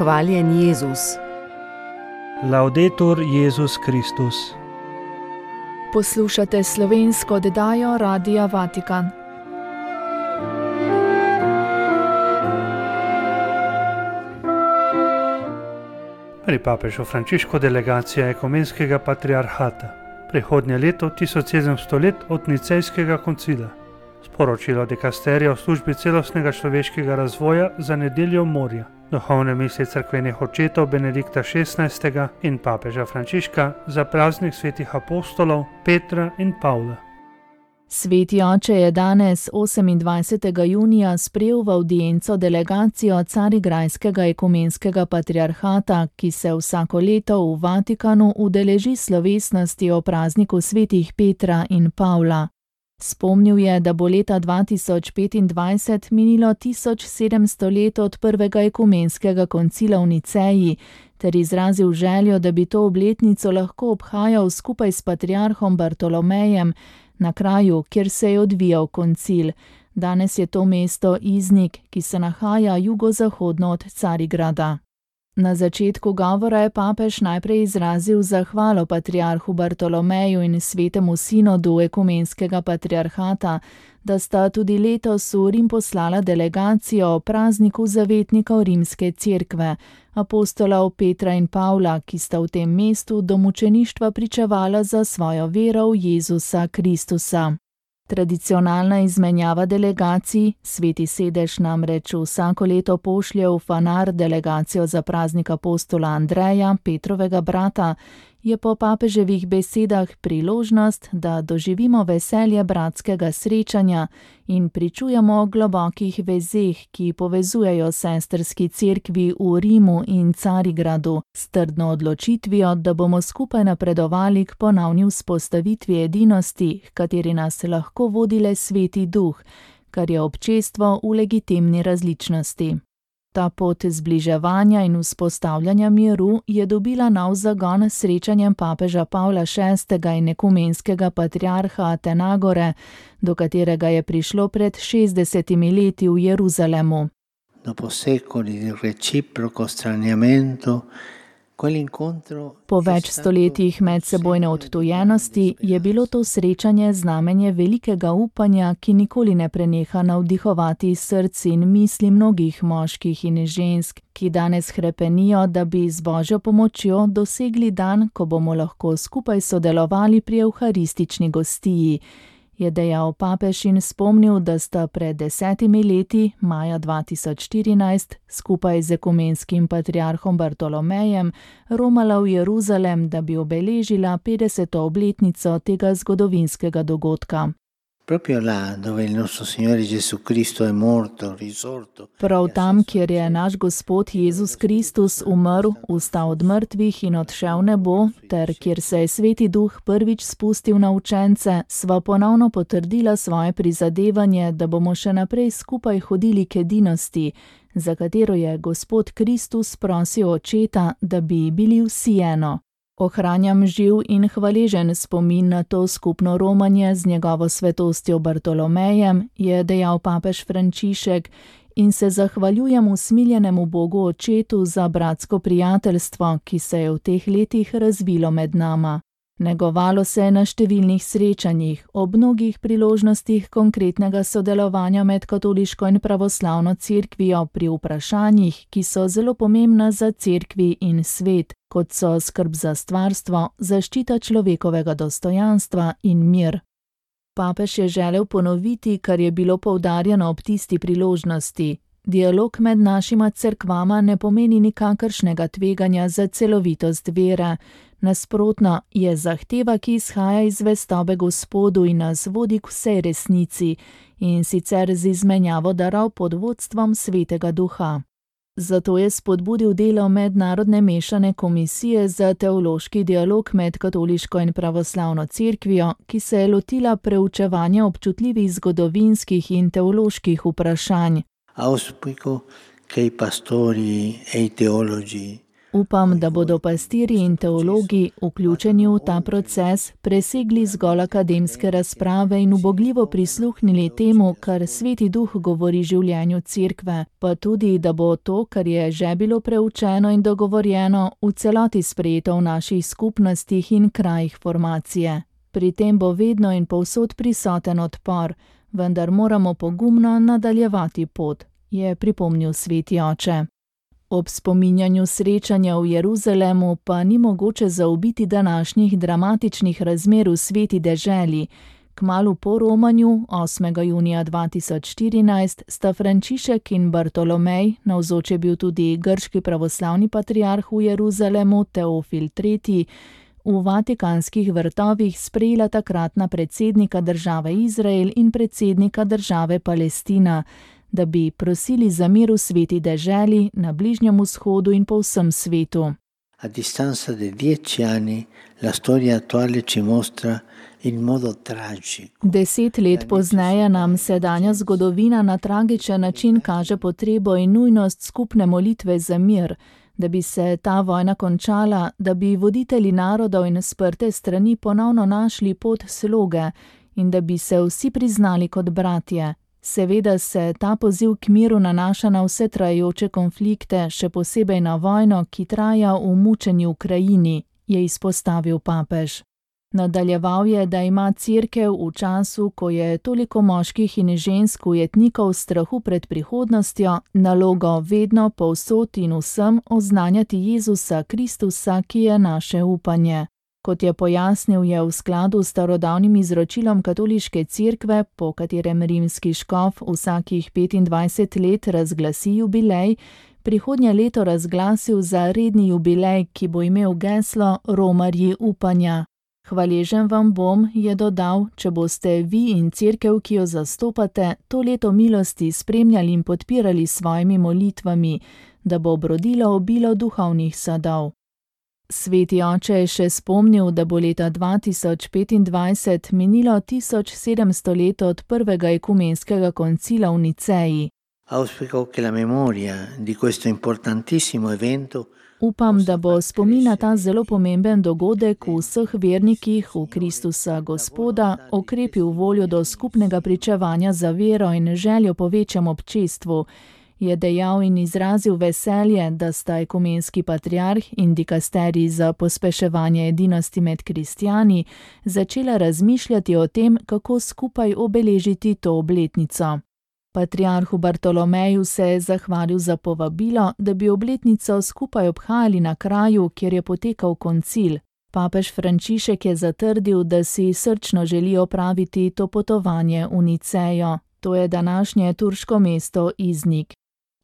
Hvaljen Jezus. Laudetur Jezus Kristus. Poslušate slovensko oddajo Radia Vatikan. Pri papežu Frančišku delegacija ekumenskega patriarhata. Prihodnje leto 1700 let od Nicejskega koncila. Sporočilo dikasterija v službi celostnega človeškega razvoja za nedeljo morja. Duhovne misli cerkvenih očetov Benedikta XVI. In papeža Frančiška za praznik svetih apostolov Petra in Pavla. Sveti oče je danes, 28. junija, sprejel v avdienco delegacijo Carigrajskega ekumenskega patriarhata, ki se vsako leto v Vatikanu udeleži slovesnosti o prazniku svetih Petra in Pavla. Spomnil je, da bo leta 2025 minilo 1700 let od prvega ekumenskega koncila v Niceji, ter izrazil željo, da bi to obletnico lahko obhajal skupaj s patriarhom Bartolomejem na kraju, kjer se je odvijal koncil. Danes je to mesto Iznik, ki se nahaja jugozahodno od Carigrada. Na začetku govora je papež najprej izrazil zahvalo patriarhu Bartolomeju in svetemu sinodu ekumenskega patriarhata, da sta tudi letos v Rim poslala delegacijo o prazniku zavetnikov rimske cerkve, apostolov Petra in Pavla, ki sta v tem mestu do mučeništva pričevala za svojo vero v Jezusa Kristusa. Tradicionalna izmenjava delegacij, Sveti sedež namreč vsako leto pošlje v Fanar delegacijo za praznik apostola Andreja, Petrovega brata, je po papeževih besedah priložnost, da doživimo veselje bratskega srečanja in pričujemo o globokih vezeh, ki povezujejo sestrski cerkvi v Rimu in Carigradu, s trdno odločitvijo, da bomo skupaj napredovali k ponovni vzpostavitvi edinosti, h kateri nas lahko vodi le Sveti Duh, kar je občestvo v legitimni različnosti. Ta pot zbliževanja in vzpostavljanja miru je dobila nov zagon s srečanjem papeža Pavla VI. In ekumenskega patriarha Atenagore, do katerega je prišlo pred 60 leti v Jeruzalemu. Dopo secoli di reciproco straniamento, po več stoletjih medsebojne odtujenosti je bilo to srečanje znamenje velikega upanja, ki nikoli ne preneha navdihovati src in misli mnogih moških in žensk, ki danes hrepenijo, da bi z Božjo pomočjo dosegli dan, ko bomo lahko skupaj sodelovali pri evharistični gostiji, je dejal papež in spomnil, da sta pred 10 leti, maja 2014, skupaj z ekumenskim patriarhom Bartolomejem romala v Jeruzalem, da bi obeležila 50. obletnico tega zgodovinskega dogodka. Proprio là dove il nostro Signore Gesù Cristo è morto, risorto. Prav tam, kjer je naš Gospod Jezus Kristus umrl, vstal od mrtvih in odšel v nebo, ter kjer se je Sveti Duh prvič spustil na učence, sva ponovno potrdila svoje prizadevanje, da bomo še naprej skupaj hodili k edinosti, za katero je Gospod Kristus prosil Očeta, da bi bili vsi eno. Ohranjam živ in hvaležen spomin na to skupno romanje z njegovo svetostjo Bartolomejem, je dejal papež Frančišek, in se zahvaljujem usmiljenemu Bogu Očetu za bratsko prijateljstvo, ki se je v teh letih razvilo med nama. Negovalo se je na številnih srečanjih, ob mnogih priložnostih konkretnega sodelovanja med katoliško in pravoslavno cerkvijo pri vprašanjih, ki so zelo pomembna za cerkvi in svet, kot so skrb za stvarstvo, zaščita človekovega dostojanstva in mir. Papež je želel ponoviti, kar je bilo poudarjeno ob tisti priložnosti. Dialog med našima cerkvama ne pomeni nikakršnega tveganja za celovitost vere. Nasprotno, je zahteva, ki izhaja iz zvestobe Gospodu in nas vodi k vsej resnici, in sicer z izmenjavo darov pod vodstvom Svetega Duha. Zato je spodbudil delo Mednarodne mešane komisije za teološki dialog med katoliško in pravoslavno cerkvijo, ki se je lotila preučevanja občutljivih zgodovinskih in teoloških vprašanj. Auspico che i pastori e i teologi Upam, da bodo pastirji in teologi, vključeni v ta proces, presegli zgolj akademske razprave in ubogljivo prisluhnili temu, kar Sveti Duh govori življenju Cerkve, pa tudi, da bo to, kar je že bilo preučeno in dogovorjeno, v celoti sprejeto v naših skupnostih in krajih formacije. Pri tem bo vedno in povsod prisoten odpor, vendar moramo pogumno nadaljevati pot, je pripomnil Sveti oče. Ob spominjanju srečanja v Jeruzalemu pa ni mogoče zaobiti današnjih dramatičnih razmer v sveti deželi. Kmalu po romanju, 8. junija 2014, sta Frančišek in Bartolomej, navzoč je bil tudi grški pravoslavni patriarh v Jeruzalemu Teofil III., v Vatikanskih vrtovih sprejela takratna predsednika države Izrael in predsednika države Palestina, da bi prosili za mir v sveti deželi, na Bližnjem vzhodu in po vsem svetu. A distanza di 10 anni, la storia attuale ci mostra in modo tragico. 10 let pozneje nam sedanja zgodovina na tragičen način kaže potrebo in nujnost skupne molitve za mir, da bi se ta vojna končala, da bi voditelji narodov in sprte strani ponovno našli pot sloge in da bi se vsi priznali kot bratje. Seveda se ta poziv k miru nanaša na vse trajajoče konflikte, še posebej na vojno, ki traja v mučeni Ukrajini, je izpostavil papež. Nadaljeval je, da ima Cerkev v času, ko je toliko moških in žensk ujetnikov v strahu pred prihodnostjo, nalogo vedno, povsod in vsem oznanjati Jezusa Kristusa, ki je naše upanje. Kot je pojasnil, je v skladu s starodavnim izročilom katoliške cerkve, po katerem rimski škof vsakih 25 let razglasi jubilej, prihodnje leto razglasil za redni jubilej, ki bo imel geslo Romarji upanja. Hvaležen vam bom, je dodal, če boste vi in cerkev, ki jo zastopate, to leto milosti spremljali in podpirali s svojimi molitvami, da bo obrodilo obilo duhovnih sadov. Sveti oče je še spomnil, da bo leta 2025 minilo 1700 let od prvega ekumenskega koncila v Niceji. Auspico che la memoria di questo importantissimo evento. Upam, da bo spomin na ta zelo pomemben dogodek v vseh vernikih v Kristusa Gospoda okrepil voljo do skupnega pričevanja za vero in željo po večjem občestvu, je dejal in izrazil veselje, da sta ekumenski patriarh in dikasterij za pospeševanje edinosti med kristjani začela razmišljati o tem, kako skupaj obeležiti to obletnico. Patriarhu Bartolomeju se je zahvalil za povabilo, da bi obletnico skupaj obhajali na kraju, kjer je potekal koncil. Papež Frančišek je zatrdil, da si srčno želi opraviti to potovanje v Nicejo. To je današnje turško mesto Iznik.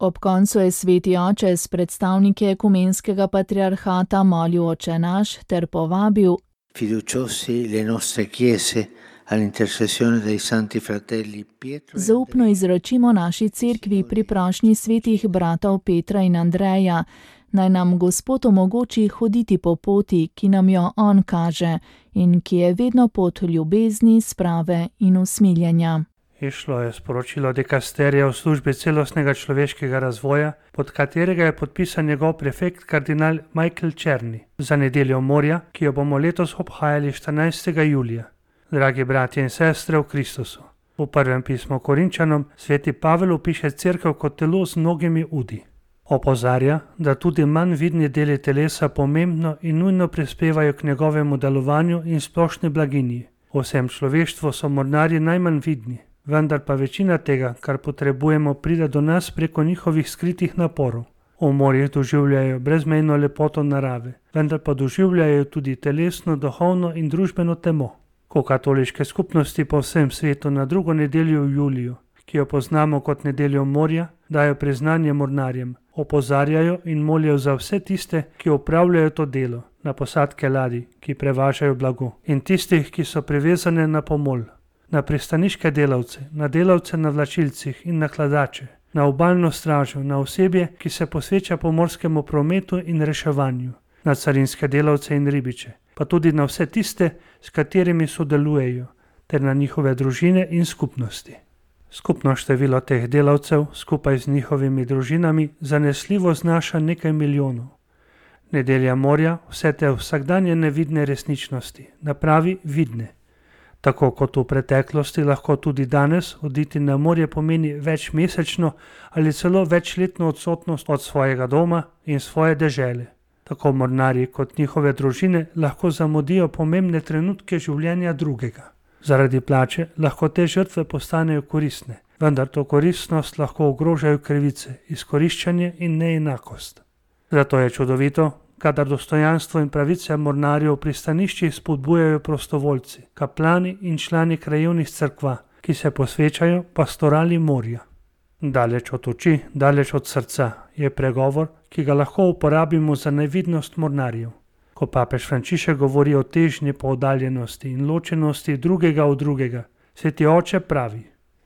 Ob koncu je sveti oče s predstavniki ekumenskega patriarhata molil Oče naš ter povabil: Fiduciosi le nostre chiese all'intercessione dei santi fratelli Pietro. Zaupno izročimo naši cerkvi pri prošnji svetih bratov Petra in Andreja, naj nam Gospod omogoči hoditi po poti, ki nam jo on kaže in ki je vedno pot ljubezni, sprave in usmiljenja. Išlo je sporočilo dikasterija v službi celostnega človeškega razvoja, pod katerega je podpisan njegov prefekt kardinal Michael Černi za nedeljo morja, ki jo bomo letos obhajali 14. julija. Dragi bratje in sestre v Kristusu, v prvem pismu Korinčanom sveti Pavel opiše cerkev kot telo z mnogimi udi. Opozarja, da tudi manj vidni deli telesa pomembno in nujno prispevajo k njegovemu delovanju in splošni blaginji. V vsem človeštvu so mornarji najmanj vidni, vendar pa večina tega, kar potrebujemo, pride do nas preko njihovih skritih naporov. V morjih doživljajo brezmejno lepoto narave, vendar pa doživljajo tudi telesno, duhovno in družbeno temo. Ko katoliške skupnosti po vsem svetu na drugo nedeljo v juliju, ki jo poznamo kot nedeljo morja, dajo priznanje mornarjem, opozarjajo in molijo za vse tiste, ki opravljajo to delo, na posadke ladij, ki prevažajo blago, in tistih, ki so privezane na pomol, na pristaniške delavce, na delavce na vlačilcih in na hladače, na obalno stražo, na osebje, ki se posveča pomorskemu prometu in reševanju, na carinske delavce in ribiče, pa tudi na vse tiste, s katerimi sodelujejo, ter na njihove družine in skupnosti. Skupno število teh delavcev, skupaj z njihovimi družinami, zanesljivo znaša nekaj milijonov. Nedelja morja vse te vsakdanje nevidne resničnosti napravi vidne. Tako kot v preteklosti, lahko tudi danes oditi na morje pomeni večmesečno ali celo večletno odsotnost od svojega doma in svoje dežele. Tako mornarji kot njihove družine lahko zamudijo pomembne trenutke življenja drugega. Zaradi plače lahko te žrtve postanejo koristne, vendar to koristnost lahko ogrožajo krivice, izkoriščanje in neenakost. Zato je čudovito, kadar dostojanstvo in pravice mornarjev v pristaniščih spodbujajo prostovoljci, kaplani in člani krajevnih cerkva, ki se posvečajo pastorali morja. Daleč od oči, daleč od srca je pregovor, ki ga lahko uporabimo za nevidnost mornarjev. Ko papež Frančišek govori o težnji po oddaljenosti in ločenosti drugega od drugega, Sveti oče pravi: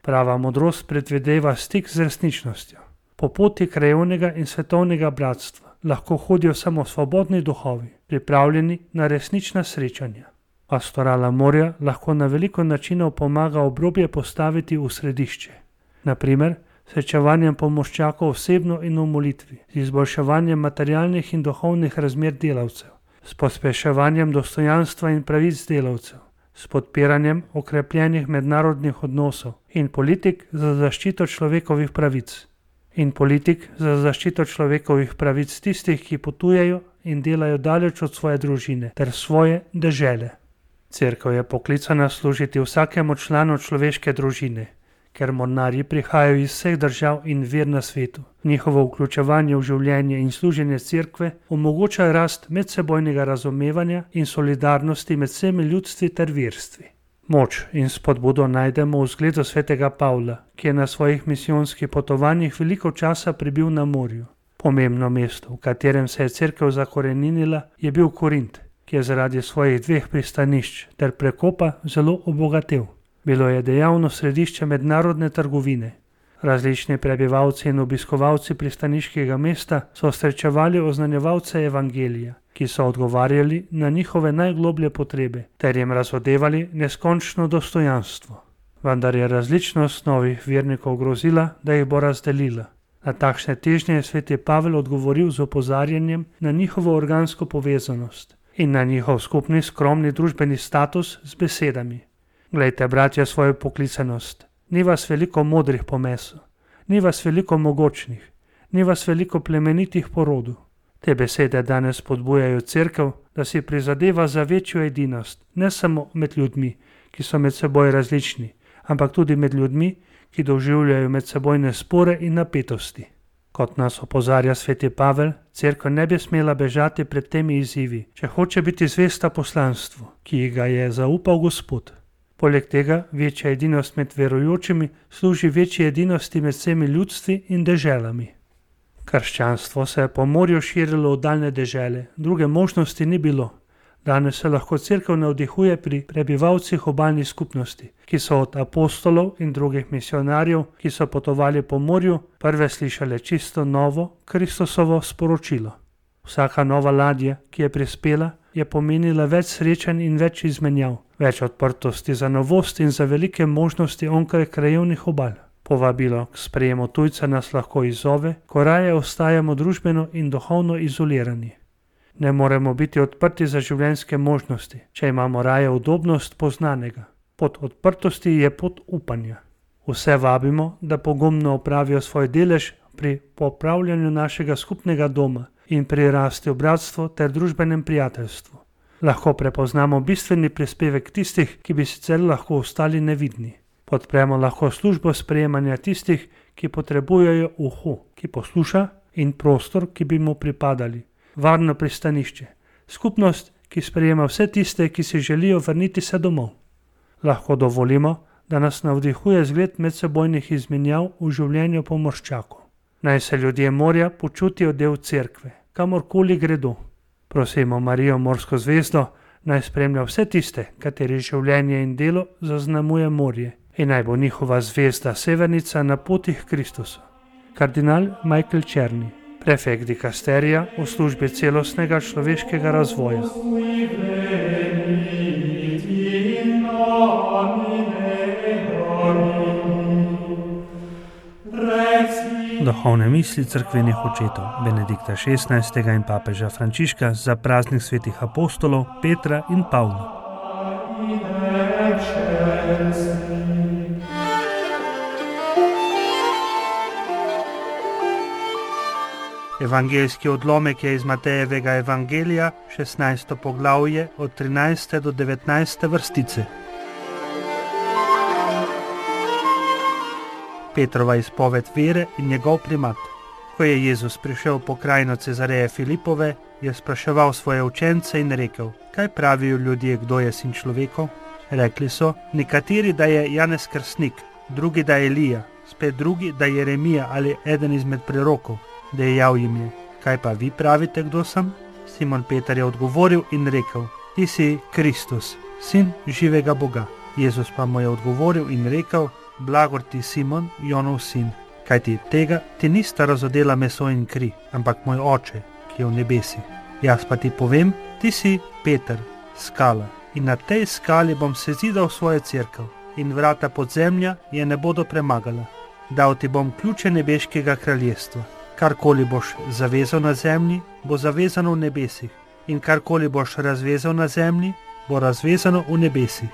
prava modrost predvideva stik z resničnostjo. Po poti krajevnega in svetovnega bratstva lahko hodijo samo svobodni duhovi, pripravljeni na resnična srečanja. Pastorala morja lahko na veliko načinov pomaga obrobje postaviti v središče. Naprimer, srečevanjem pomorščakov osebno in v molitvi, z izboljševanjem materialnih in duhovnih razmer delavcev, s pospeševanjem dostojanstva in pravic delavcev, s podpiranjem okrepljenih mednarodnih odnosov in politik za zaščito človekovih pravic tistih, ki potujejo in delajo daleč od svoje družine ter svoje dežele. Cerkev je poklicana služiti vsakemu članu človeške družine, ker mornarji prihajajo iz vseh držav in ver na svetu. Njihovo vključevanje v življenje in služenje cerkve omogoča rast medsebojnega razumevanja in solidarnosti med vsemi ljudstvi ter verstvi. Moč in spodbudo najdemo v zgledu svetega Pavla, ki je na svojih misijonskih potovanjih veliko časa prebil na morju. Pomembno mesto, v katerem se je cerkev zakoreninila, je bil Korint, ki je zaradi svojih 2 pristanišč ter prekopa zelo obogatel. Bilo je dejavno središče mednarodne trgovine. Različni prebivalci in obiskovalci pristaniškega mesta so srečevali oznanjevalce evangelija, ki so odgovarjali na njihove najgloblje potrebe ter jim razodevali neskončno dostojanstvo. Vendar je različnost novih vernikov grozila, da jih bo razdelila. Na takšne težnje je sveti Pavel odgovoril z opozarjanjem na njihovo organsko povezanost in na njihov skupni skromni družbeni status z besedami: glejte, bratje, svojo poklicanost. Ni vas veliko modrih po mesu, ni vas veliko mogočnih, ni vas veliko plemenitih po rodu. Te besede danes spodbujajo cerkev, da si prizadeva za večjo edinost, ne samo med ljudmi, ki so med seboj različni, ampak tudi med ljudmi, ki doživljajo medsebojne spore in napetosti. Kot nas opozarja sveti Pavel, cerkev ne bi smela bežati pred temi izzivi, če hoče biti zvesta poslanstvu, ki ji ga je zaupal Gospod. Poleg tega večja edinost med verujočimi služi večji edinosti med vsemi ljudstvi in deželami. Krščanstvo se je po morju širilo v daljne dežele, druge možnosti ni bilo. Danes se lahko cerkev navdihuje pri prebivalcih obalnih skupnosti, ki so od apostolov in drugih misionarjev, ki so potovali po morju, prve slišale čisto novo Kristusovo sporočilo. Vsaka nova ladja, ki je prispela, je pomenila več srečanj in več izmenjav, več odprtosti za novost in za velike možnosti onkraj krajevnih obal. Povabilo k sprejemu tujca nas lahko izzove, ko raje ostajamo družbeno in duhovno izolirani. Ne moremo biti odprti za življenjske možnosti, če imamo raje udobnost poznanega. Pot odprtosti je pot upanja. Vse vabimo, da pogumno opravijo svoj delež pri popravljanju našega skupnega doma in pri rasti v bratstvu ter družbenem prijateljstvu. Lahko prepoznamo bistveni prispevek tistih, ki bi sicer lahko ostali nevidni. Podpremo lahko službo sprejemanja tistih, ki potrebujejo uho, ki posluša, in prostor, ki bi mu pripadali. Varno pristanišče, skupnost, ki sprejema vse tiste, ki si želijo vrniti se domov. Lahko dovolimo, da nas navdihuje zgled medsebojnih izmenjav v življenju pomorščakov. Naj se ljudje morja počutijo del cerkve, kamorkoli gredo. Prosimo Marijo morsko zvezdo, naj spremlja vse tiste, kateri življenje in delo zaznamuje morje, in naj bo njihova zvezda severnica na poti k Kristusu. Kardinal Michael Černi, prefekt dikasterija v službi celostnega človeškega razvoja. Duhovne misli cerkvenih očetov Benedikta XVI. In papeža Frančiška za praznik svetih apostolov Petra in Pavla. Evangeljski odlomek je iz Matejevega evangelija, 16. poglavje, od 13. do 19. vrstice. Petrova izpoved vere in njegov primat. Ko je Jezus prišel po krajino Cezareje Filipove, je spraševal svoje učence in rekel: kaj pravijo ljudje, kdo je sin človekov? Rekli so, nekateri, da je Janez Krstnik, drugi, da je Elija, spet drugi, da je Jeremija ali eden izmed prorokov. Dejal jim je: kaj pa vi pravite, kdo sem? Simon Peter je odgovoril in rekel: ti si Kristus, sin živega Boga. Jezus pa mu je odgovoril in rekel: blagor ti, Simon, Jonov sin, kajti tega ti nista razodela meso in kri, ampak moj oče, ki je v nebesih. Jaz pa ti povem, ti si Peter, skala, in na tej skali bom sezidal svojo cerkev, in vrata podzemlja je ne bodo premagala. Dal ti bom ključe nebeškega kraljestva. Karkoli boš zavezal na zemlji, bo zavezano v nebesih, in karkoli boš razvezal na zemlji, bo razvezano v nebesih.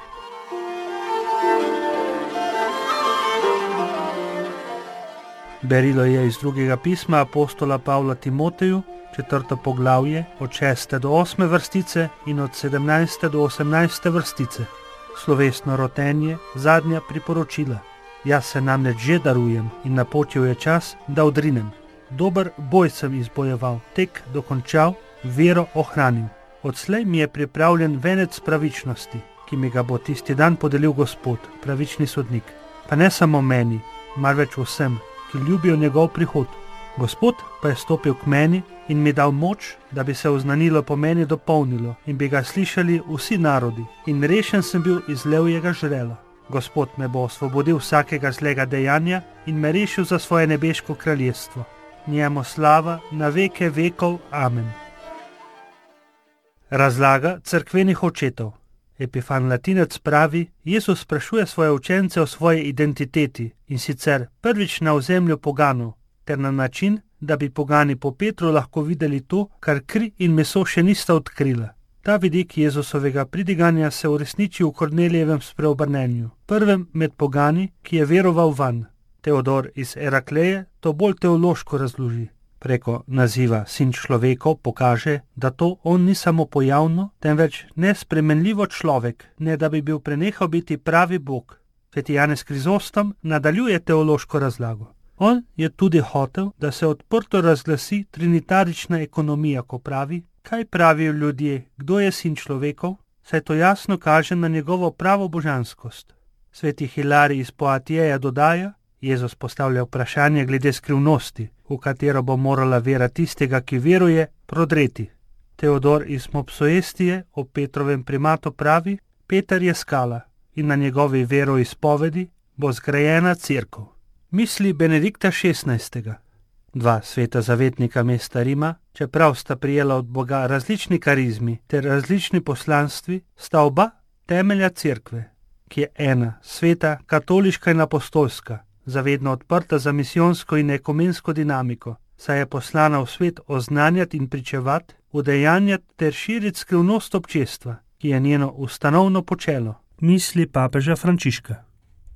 Berilo je iz drugega pisma apostola Pavla Timoteju, 4. poglavje, od 6. do 8. vrstice in od 17. do 18. vrstice. Slovesno rotenje, zadnja priporočila. Jaz se namreč že darujem in napočil je čas, da odrinem. Dober boj sem izbojeval, tek dokončal, vero ohranil. Odslej mi je pripravljen venec pravičnosti, ki mi ga bo tisti dan podelil Gospod, pravični sodnik. Pa ne samo meni, marveč vsem, ki ljubijo njegov prihod. Gospod pa je stopil k meni in mi dal moč, da bi se oznanilo po meni dopolnilo in bi ga slišali vsi narodi, in rešen sem bil iz levjega žrela. Gospod me bo osvobodil vsakega zlega dejanja in me rešil za svoje nebeško kraljestvo. Njemu slava na veke vekov. Amen. Razlaga cerkvenih očetov. Epifan Latinec pravi: Jezus sprašuje svoje učence o svoji identiteti, in sicer prvič na ozemlju poganov, ter na način, da bi pogani po Petru lahko videli to, kar kri in meso še nista odkrila. Ta vidik Jezusovega pridiganja se uresniči v Kornelijevem spreobrnenju, prvem med pogani, ki je veroval vanj. Teodor iz Erakleje to bolj teološko razloži. Preko naziva sin človekov pokaže, da to on ni samo pojavno, temveč nespremenljivo človek, ne da bi bil prenehal biti pravi Bog. Sveti Janez Krizostom nadaljuje teološko razlago. On je tudi hotel, da se odprto razglasi trinitarična ekonomija, ko pravi: kaj pravijo ljudje, kdo je sin človekov, saj to jasno kaže na njegovo pravo božanskost. Sveti Hilarij iz Poatijeja dodaja: Jezus postavlja vprašanje glede skrivnosti, v katero bo morala vera tistega, ki veruje, prodreti. Teodor iz Mopsuestije o Petrovem primatu pravi: Peter je skala in na njegovi veroizpovedi bo zgrajena cerkev. Misli Benedikta XVI. Dva sveta zavetnika mesta Rima, čeprav sta prijela od Boga različni karizmi ter različni poslanstvi, sta oba temelja cerkve, ki je ena, sveta, katoliška in apostolska, zavedno odprta za misijonsko in ekumensko dinamiko, saj je poslana v svet oznanjati in pričevati, udejanjati ter širiti skrivnost občestva, ki je njeno ustanovno počelo. Misli papeža Frančiška.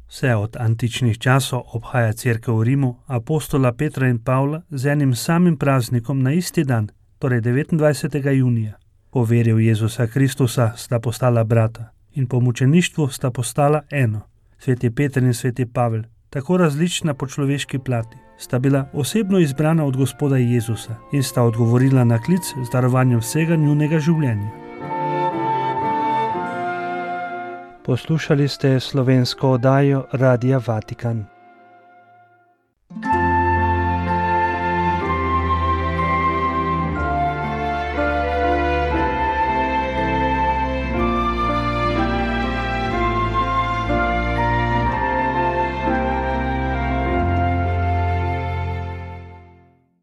Vse od antičnih časov obhaja cerkev v Rimu apostola Petra in Pavla z enim samim praznikom na isti dan, torej 29. junija. Po veri v Jezusa Kristusa sta postala brata in po mučeništvu sta postala eno. Sveti Peter in sveti Pavel, tako različna po človeški plati, sta bila osebno izbrana od Gospoda Jezusa in sta odgovorila na klic z darovanjem vsega njunega življenja. Poslušali ste slovensko oddajo Radia Vatikan.